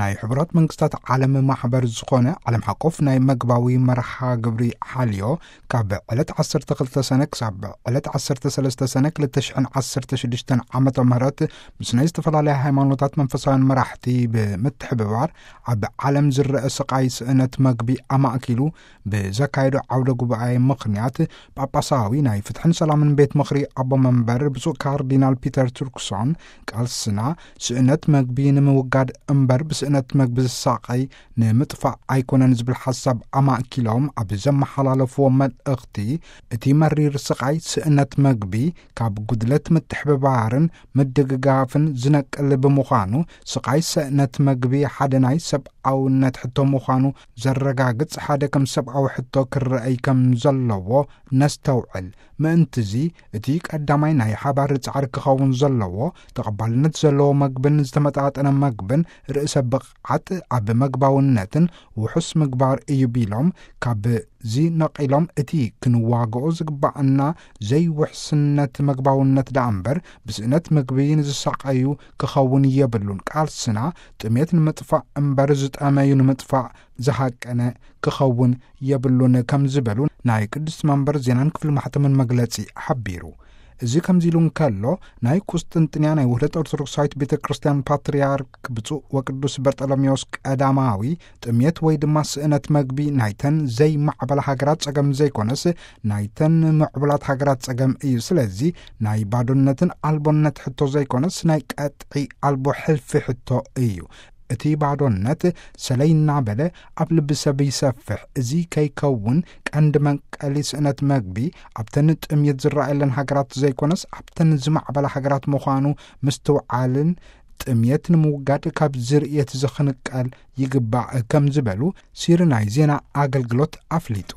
ናይ ሕቡራት መንግስታት ዓለም ማሕበር ዝኾነ ዓለም ሓቆፍ ናይ መግባዊ መርሃ ግብሪ ሓልዮ፣ ካብ ዕለት ዓሰርተ ክልተ ሰነ ክሳብ ዕለት ዓሰርተ ሰለስተ ሰነ ክልተ ሽሕን ዓሰርተ ሽዱሽተን ዓመተ ምህረት ምስ ናይ ዝተፈላለያ ሃይማኖታት መንፈሳውያን መራሕቲ ብምትሕብባር፣ ኣብ ዓለም ዝረአ ስቓይ ስእነት መግቢ ኣማእኪሉ ብዘካየዶ ዓውደ ጉባኤ ምኽንያት፣ ጳጳሳዊ ናይ ፍትሕን ሰላምን ቤት ምኽሪ ኣቦ መንበር ብፁዕ ካርዲናል ፒተር ቱርክሶን፣ ቃልስና ስእነት መግቢ ንምውጋድ እምበር ብስእነት መግቢ ዝሳቐይ ንምጥፋእ ኣይኮነን ዝብል ሓሳብ ኣማእኪሎም ኣብ ዘመሓላለፍዎ መልእኽቲ፣ እቲ መሪር ስቓይ ስእነት መግቢ ካብ ጉድለት ምትሕብባርን ምድግጋፍን ዝነቅል ብምዃኑ፣ ስቓይ ስእነት መግቢ ሓደ ናይ ሰብኣውነት ሕቶ ምዃኑ ዘረጋግጽ ሓደ ከም ሰብኣዊ ሕቶ ክረኣይ ከም ዘለዎ ነስተውዕል። ምእንትዚ፣ እቲ ቀዳማይ ናይ ሓባር ጻዕሪ ክኸውን ዘለዎ፣ ተቐባልነት ዘለዎ መግብን ዝተመጣጠነ መግብን ርእሰ ብቕዓት ኣብ መግባውነትን ውሑስ ምግባር እዩ ቢሎም፣ ካብዚ ነቒሎም እቲ ክንዋግኦ ዝግባኣና ዘይውሕስነት መግባውነት ደኣ እምበር ብስእነት ምግቢ ንዝሳቐዩ ክኸውን የብሉን። ቃልስና ጥሜት ንምጥፋእ እምበር ዝጠመዩ ንምጥፋእ ዝሃቀነ ክኸውን የብሉን ከም ዝበሉ ናይ ቅድስት መንበር ዜናን ክፍሊ ማሕተምን መግለጺ ሓቢሩ። እዚ ከምዚ ኢሉ እንከሎ፣ ናይ ቁስጥንጥንያ ናይ ውህደት ኦርቶዶክሳዊት ቤተ ክርስቲያን ፓትርያርክ ብፁዕ ወቅዱስ በርጠሎሜዎስ ቀዳማዊ፣ ጥሜት ወይ ድማ ስእነት መግቢ ናይተን ዘይማዕበላ ሃገራት ጸገም ዘይኮነስ፣ ናይተን ምዕቡላት ሃገራት ጸገም እዩ። ስለዚ ናይ ባዶነትን ኣልቦነት ሕቶ ዘይኮነስ፣ ናይ ቀጥዒ ኣልቦ ሕልፊ ሕቶ እዩ። እቲ ባዶነት ሰለይ እናበለ ኣብ ልቢ ሰብ ይሰፍሕ። እዚ ከይከውን ቀንዲ መንቀሊ ስእነት መግቢ ኣብተን ጥምየት ዝረኣየለን ሃገራት ዘይኮነስ፣ ኣብተን ዝማዕበላ ሃገራት ምዃኑ ምስትውዓልን፣ ጥምየት ንምውጋድ ካብ ዝርእየት ዝኽንቀል ይግባእ ከም ዝበሉ ሲሪ ናይ ዜና ኣገልግሎት ኣፍሊጡ።